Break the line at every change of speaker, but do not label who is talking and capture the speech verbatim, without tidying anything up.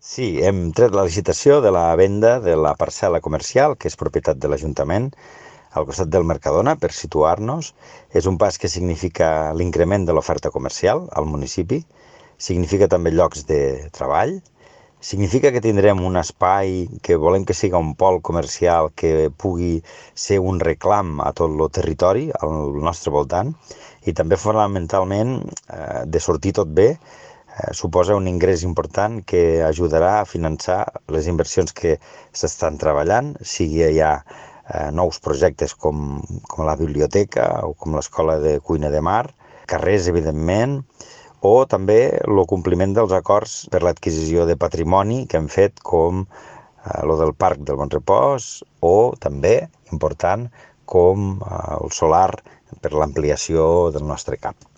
Sí, hem tret la licitació de la venda de la parcel·la comercial, que és propietat de l'Ajuntament, al costat del Mercadona, per situar-nos. És un pas que significa l'increment de l'oferta comercial al municipi, significa també llocs de treball, significa que tindrem un espai que volem que siga un pol comercial que pugui ser un reclam a tot el territori al nostre voltant i també fonamentalment, eh, de sortir tot bé, eh, suposa un ingrés important que ajudarà a finançar les inversions que s'estan treballant, sigui ja eh, nous projectes com, com la biblioteca o com l'escola de cuina de mar, carrers, evidentment, o també el compliment dels acords per l'adquisició de patrimoni que hem fet com eh, lo del Parc del Bonrepòs o també, important, com eh, el solar per l'ampliació del nostre camp.